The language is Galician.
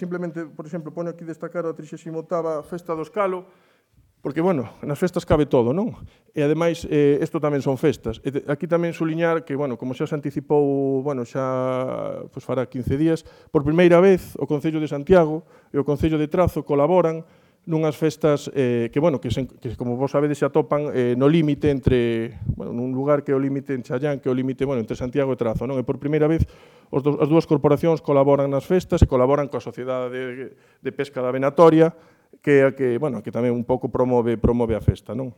Simplemente, por exemplo, pono aquí destacar a 38ª Festa do Escalo, porque, bueno, nas festas cabe todo, non? E, ademais, isto tamén son festas. Aquí tamén suliñar que, bueno, como xa se anticipou, bueno, xa fará 15 días, por primeira vez o Concello de Santiago e o Concello de Trazo colaboran nunhas festas que, bueno, que como vos sabedes, se atopan no límite entre, bueno, nun lugar que é o límite en Challán, que é o límite, bueno, entre Santiago e Trazo, non? E por primeira vez as dúas corporacións colaboran nas festas e colaboran coa Sociedade de Pesca da Venatoria, que tamén un pouco promove a festa, non?